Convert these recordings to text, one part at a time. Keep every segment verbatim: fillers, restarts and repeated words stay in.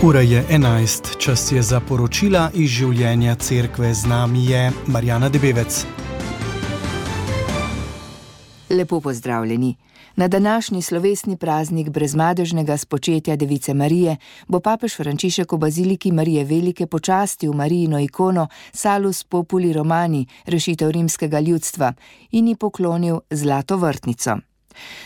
Ura je enajst, čas je za poročila iz življenja cerkve. Z nami je Marjana Debevec. Lepo pozdravljeni. Na današnji slovesni praznik brezmadežnega spočetja Device Marije bo papež Frančišek v baziliki Marije Velike počastil Marijino ikono Salus Populi Romani, rešitev rimskega ljudstva, in ji poklonil zlato vrtnico.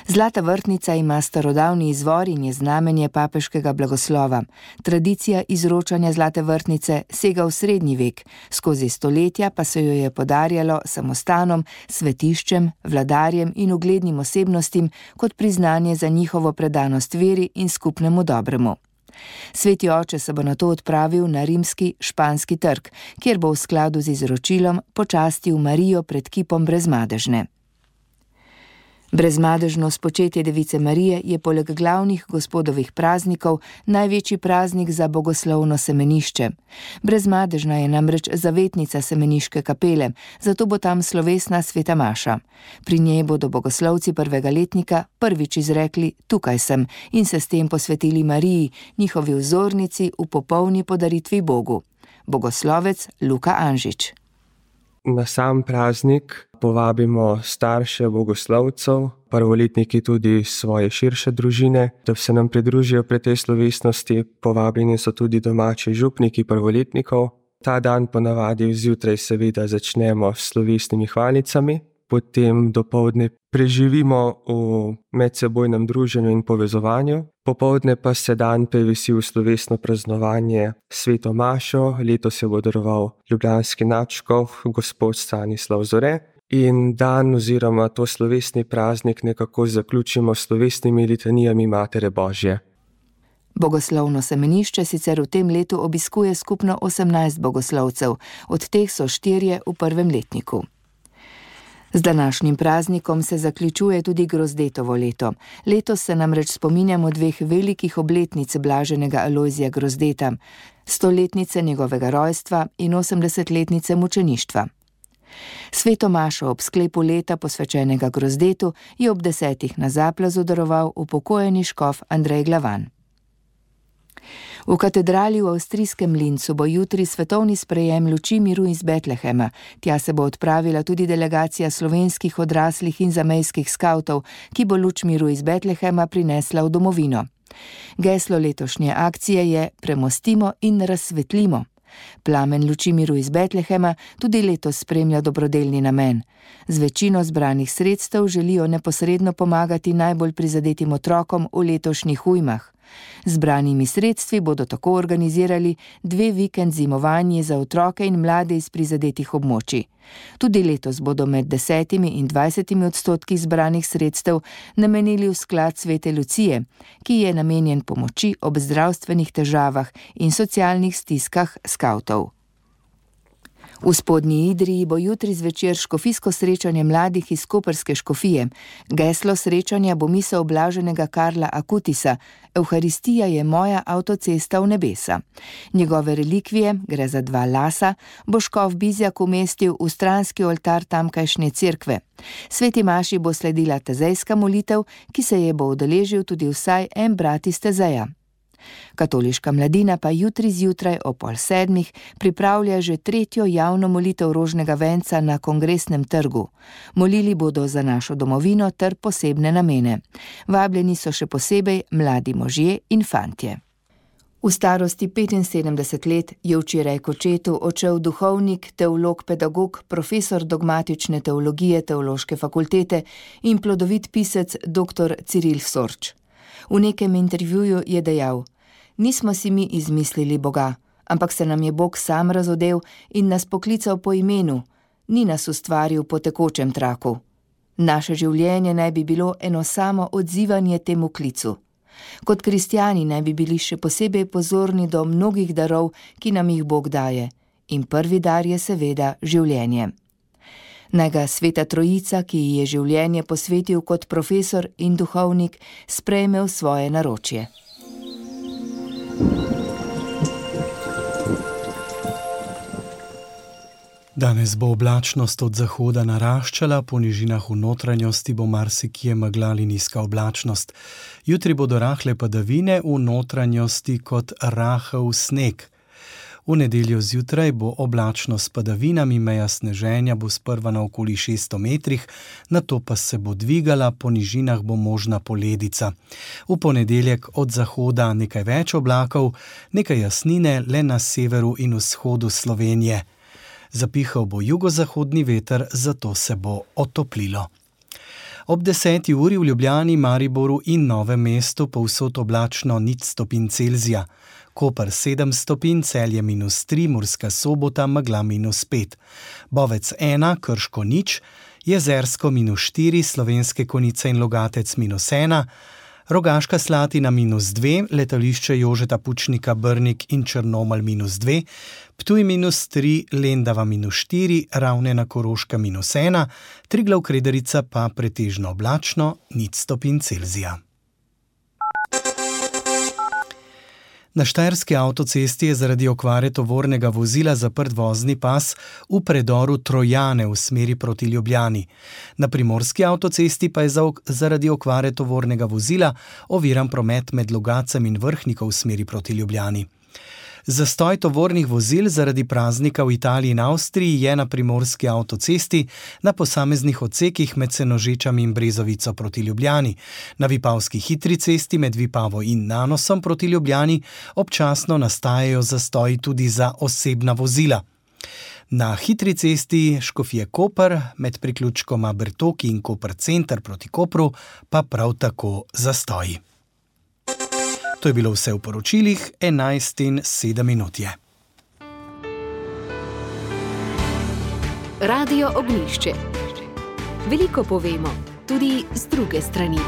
Zlata vrtnica ima starodavni izvor in je znamenje papeškega blagoslova. Tradicija izročanja zlate vrtnice sega v srednji vek, skozi stoletja pa se jo je podarjalo samostanom, svetiščem, vladarjem in uglednim osebnostim kot priznanje za njihovo predanost veri in skupnemu dobremu. Sveti oče se bo nato odpravil na rimski Španski trg, kjer bo v skladu z izročilom počastil Marijo pred kipom brezmadežne. Brezmadežno spočetje Device Marije je poleg glavnih gospodovih praznikov največji praznik za bogoslovno semenišče. Brezmadežna je namreč zavetnica semeniške kapele, zato bo tam slovesna sveta maša. Pri njej bodo bogoslovci prvega letnika prvič izrekli "Tukaj sem" in se s tem posvetili Mariji, njihovi vzornici v popolni podaritvi Bogu. Bogoslovec Luka Anžič. Na sam praznik povabimo starše bogoslovcev, prvoletniki tudi svoje širše družine, da se nam pridružijo pri tej slovesnosti. Povabljeni so tudi domači župniki prvoletnikov. Ta dan ponavadi zjutraj seveda začnemo s slovesnimi hvalicami, potem dopoldne preživimo v medsebojnem druženju in povezovanju, popoldne pa se dan prevesi v slovesno praznovanje sveto mašo. Letos je bo daroval ljubljanski nadškof gospod Stanislav Zore, in dan oziroma to slovesni praznik nekako zaključimo s slovesnimi litanijami Matere Božje. Bogoslovno semenišče sicer v tem letu obiskuje skupno osemnajst bogoslovcev, od teh so štirje v prvem letniku. Z današnjim praznikom se zaključuje tudi Grozdetovo leto. Letos se namreč spominjamo dveh velikih obletnic blaženega Alojzija Grozdeta, stoletnice njegovega rojstva in osemdesetletnice mučeništva. Sveto mašo ob sklepu leta posvečenega Grozdetu je ob desetih na Zaplazu daroval upokojeni škof Andrej Glavan. V katedrali v avstrijskem Lincu bo jutri svetovni sprejem luči miru iz Betlehema. Tja se bo odpravila tudi delegacija slovenskih odraslih in zamejskih skavtov, ki bo luč miru iz Betlehema prinesla v domovino. Geslo letošnje akcije je Premostimo in razsvetlimo. Plamen luči miru iz Betlehema tudi letos spremlja dobrodelni namen. Z večino zbranih sredstev želijo neposredno pomagati najbolj prizadetim otrokom v letošnjih ujmah. Zbranimi sredstvi bodo tako organizirali dve vikend zimovanje za otroke in mlade iz prizadetih območij. Tudi letos bodo med desetimi in dvajsetimi odstotki zbranih sredstev namenili v sklad Svete Lucije, ki je namenjen pomoči ob zdravstvenih težavah in socialnih stiskah skavtov. V Spodnji Idriji bo jutri zvečer škofijsko srečanje mladih iz koprske škofije. Geslo srečanja bo misel blaženega Karla Akutisa Evharistija je moja avtocesta v nebesa. Njegove relikvije, gre za dva lasa, bo škof Bizjak umestil v stranski oltar tamkajšnje cerkve. Sveti maši bo sledila tezejska molitev, ki se je bo udeležil tudi vsaj en brat iz Tezeja. Katoliška mladina pa jutri zjutraj o pol sedmih pripravlja že tretjo javno molitev rožnega venca na Kongresnem trgu. Molili bodo za našo domovino ter posebne namene. Vabljeni so še posebej mladi možje in fantje. V starosti petinsedemdeset let je včeraj k očetu odšel duhovnik, teolog, pedagog, profesor dogmatične teologije Teološke fakultete in plodovit pisec doktor Ciril Sorč. V nekem intervjuju je dejal: "Nismo si mi izmislili Boga, ampak se nam je Bog sam razodel in nas poklical po imenu, ni nas ustvaril po tekočem traku. Naše življenje naj bi bilo eno samo odzivanje temu klicu. Kot kristjani naj bi bili še posebej pozorni do mnogih darov, ki nam jih Bog daje, in prvi dar je seveda življenje. Naj ga Sveta Trojica, ki ji je življenje posvetil kot profesor in duhovnik, sprejme v svoje naročje." Danes bo oblačnost od zahoda naraščala, po nižinah v notranjosti bo marsikje megla ali nizka oblačnost. Jutri bodo rahle padavine, v notranjosti kot rahel sneg. V nedeljo zjutraj bo oblačno s padavinami, meja sneženja bo sprva na okoli šeststo metrih, nato pa se bo dvigala, po nižinah bo možna poledica. V ponedeljek od zahoda nekaj več oblakov, nekaj jasnine le na severu in vzhodu Slovenije. Zapihal bo jugozahodni veter, zato se bo otoplilo. Ob deseti uri v Ljubljani, Mariboru in Novem mestu povsod oblačno nič stopinj Celzija. Koper sedem stopinj, Celje minus tri, Murska Sobota, megla minus pet. Bovec ena, Krško nič, Jezersko minus štiri, Slovenske Konjice in Logatec minus ena, Rogaška Slatina minus dve, letališče Jožeta Pučnika Brnik in Črnomelj minus dve, Ptuj minus tri, Lendava minus štiri, Ravne na Koroškem minus ena, Triglav Krederica pa pretežno oblačno, nič stopinj Celzija. Na štajerski avtocesti je zaradi okvare tovornega vozila zaprt vozni pas v predoru Trojane v smeri proti Ljubljani. Na primorski avtocesti pa je zaradi okvare tovornega vozila oviran promet med Logacem in Vrhniko v smeri proti Ljubljani. Zastoj tovornih vozil zaradi praznika v Italiji in Avstriji je na primorski avtocesti na posameznih odsekih med Senožečami in Brezovico proti Ljubljani. Na Vipavski hitri cesti med Vipavo in Nanosom proti Ljubljani občasno nastajajo zastoji tudi za osebna vozila. Na hitri cesti Škofje-Koper med priključkoma Bertoki in Koper center proti Kopru pa prav tako zastoji. To je bilo vse v poročilih, enajst in sedem minut je. Radio Ognjišče. Veliko povemo, tudi z druge strani.